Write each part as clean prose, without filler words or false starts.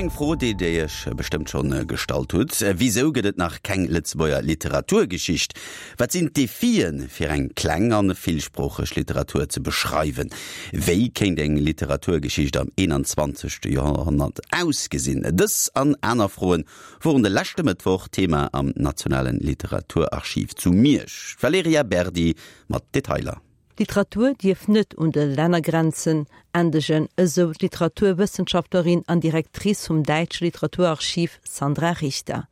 An eng Fro, déi Dir Iech bestëmmt schonn gestallt hutt, Wisou gëtt et nach keng Lëtzebuerger Literaturgeschicht? Wat sinn d'Defien, fir eng kleng an villsproocheg Literatur ze beschreiwen? Wéi kéint eng Literaturgeschicht am 21. Joerhonnert ausgesinn? Dës an aner Froen woren de leschte Mëttwoch Thema am Nationalen Literaturarchiv zu Miersch. D'Valerija Berdi mat Detailer. D'Literatur dierf net un de Lännergrenzen endegen, esou d'Literaturwëssenschaftlerin an Directrice vum Däitsche Literaturarchiv Sandra Richter.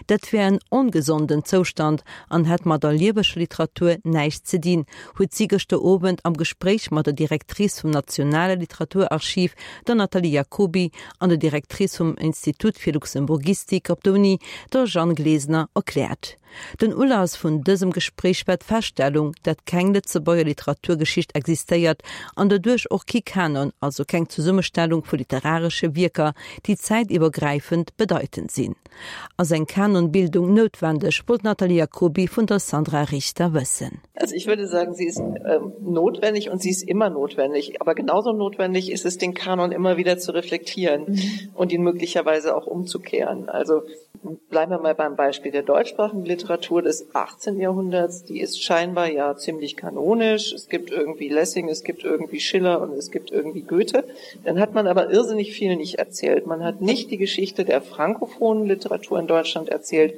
Dat wär en ongesonden Zoustand an hätt mat der lieweger Literatur näischt ze dinn, huet si gëschter Owend am Gespréich mat der Directrice vum Nationale Literaturarchiv, der Nathalie Jacoby, an der Directrice vum Institut fir Luxemburgistik op der Uni, der Jeanne Glesener, erkläert. Den Ulass vun dësem Gespréich war d'Feststellung, dat keng Lëtzebuerger Literaturgeschicht existéiert an doduerch och kee Kanon, also keng Zesummestellung vu literaresche Wierker, déi zäitiwwergräifend bedeitend sinn. Ass eng Kanonbildung noutwendeg, wollt d'Nathalie Jacoby vun der Sandra Richter wëssen. Also ich würde sagen, sie ist notwendig und sie ist immer notwendig. Aber genauso notwendig ist es, den Kanon immer wieder zu reflektieren und ihn möglicherweise auch umzukehren. Also Bleiben wir mal beim Beispiel der deutschsprachigen Literatur des 18. Jahrhunderts. Die ist scheinbar ja ziemlich kanonisch. Es gibt irgendwie Lessing, es gibt irgendwie Schiller und es gibt irgendwie Goethe. Dann hat man aber irrsinnig viel nicht erzählt. Man hat nicht die Geschichte der frankophonen Literatur in Deutschland erzählt,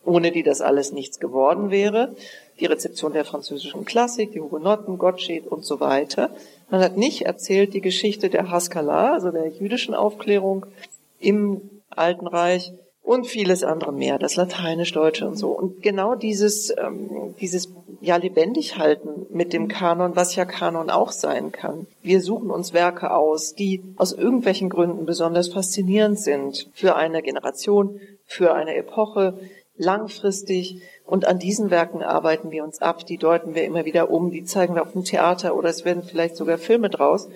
ohne die das alles nichts geworden wäre. Die Rezeption der französischen Klassik, die Hugenotten, Gottsched und so weiter. Man hat nicht erzählt die Geschichte der Haskalah, also der jüdischen Aufklärung im Alten Reich und vieles andere mehr, das Lateinisch-Deutsche und so. Und genau dieses, ähm, dieses ja lebendig halten mit dem Kanon, was ja Kanon auch sein kann. Wir suchen uns Werke aus, die aus irgendwelchen Gründen besonders faszinierend sind für eine Generation, für eine Epoche, langfristig. Und an diesen Werken arbeiten wir uns ab, die deuten wir immer wieder um, die zeigen wir auf dem Theater oder es werden vielleicht sogar Filme draus.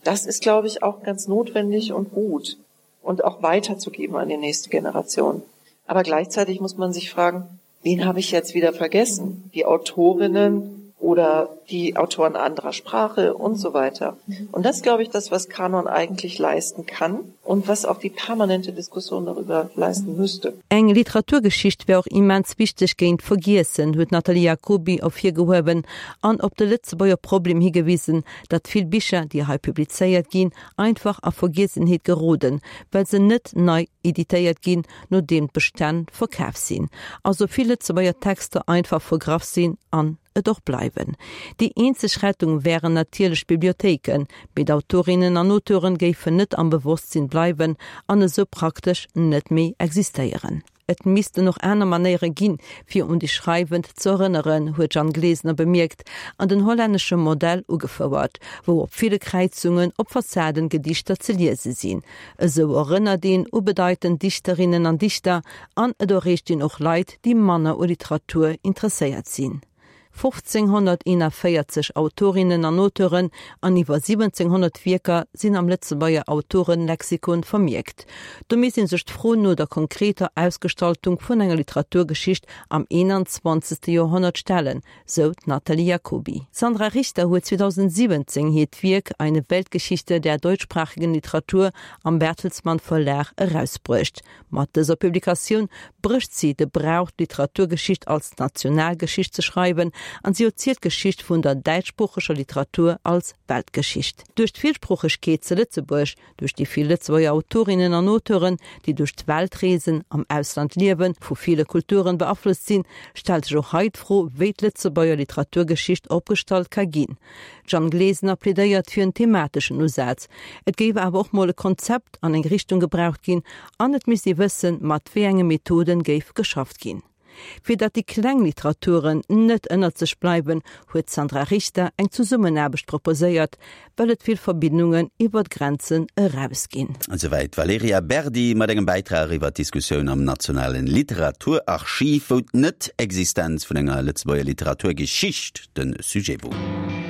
Das ist, glaube ich, auch ganz notwendig und gut und auch weiterzugeben an die nächste Generation. Aber gleichzeitig muss man sich fragen, wen habe ich jetzt wieder vergessen? Die Autorinnen oder die Autoren anderer Sprache und so weiter. Und das glaube ich das, was Kanon eigentlich leisten kann und was auch die permanente Diskussion darüber leisten müsste. Eng Literaturgeschicht wär och immens wichteg géint d'Vergiessen, huet d'Nathalie Jacoby ervirgehuewen an op de Lëtzebuerger Problem higewisen, datt vill Bicher, déi hei publizéiert ginn, einfach a Vergiessenheet geroden, well se net nei editéiert ginn, nodeem d'Bestänn verkaf sinn. Also vill Lëtzebuerger Texter einfach vergraff sinn an et och bleiwen. Déi eenzeg Rettung wären natierlech d'Bibliothéiken, mee d'Autorinnen an Auteuren géifen net am Bewosstsinn bleiwen an esou praktesch net méi existéieren. Et missten och aner Manéiere ginn, fir un déi Schreiwend ze erënneren, huet d'Jeanne Glesener bemierkt an den hollännesche Modell ugefouert, wou op ville Kräizungen op Fassaden Gedichter ze liese sinn. Esou erënnert een u bedeitend Dichterinnen an Dichter an et erreecht een och Leit, déi manner u Literatur interesséiert sinn. 1541 Autorinnen an Auteuren an iwwer 1700 Wierker sinn am Lëtzebuerger Autorenlexikon vermierkt. Do misst ee sech d'Fro no der konkreter Ausgestaltung vun enger Literaturgeschicht am 21. Joerhonnert stellen, sou d'Nathalie Jacoby. D'Sandra Richter huet 2017 hiert Wierk Eine Weltgeschichte der deutschsprachigen Literatur am Bertelsmann Verlag erausbruecht. Mat dëser Publikatioun brécht si de Brauch, d'Literaturgeschicht als Nationalgeschicht ze schreiwen, an si erzielt d'Geschicht vun der däitschsproocheger Literatur als Weltgeschicht. Duerch d'Villsproochegkeet ze Lëtzebuerg, duerch déi vill Lëtzebuerger Autorinnen an Auteuren, déi duerch d'Welt reesen, am Ausland liewen, vu ville Kulturen beaflosst sinn, stellt sech och hei d'Fro, wéi d'Lëtzebuerger Literaturgeschicht opgestallt ka ginn. D'Jeanne Glesener plädéiert fir en themateschen Usaz. Et géif awer och mol e Konzept an eng Richtung gebraucht ginn an et misst ee wëssen, mat wéi enge Methoden géif geschafft ginn. Fir datt déi kleng Literaturen net ënnert sech bleiwen, huet d'Sandra Richter eng Zesummenaarbecht proposéiert, well et vill Verbindungen iwwer d'Grenzen eraus ginn. Esouwäit d'Valerija Berdi mat engem Bäitrag iwwer d'Diskussioun am Nationalen Literaturarchiv, wou d'Net-Existenz vun enger Lëtzebuerger Literaturgeschicht de Sujet wor.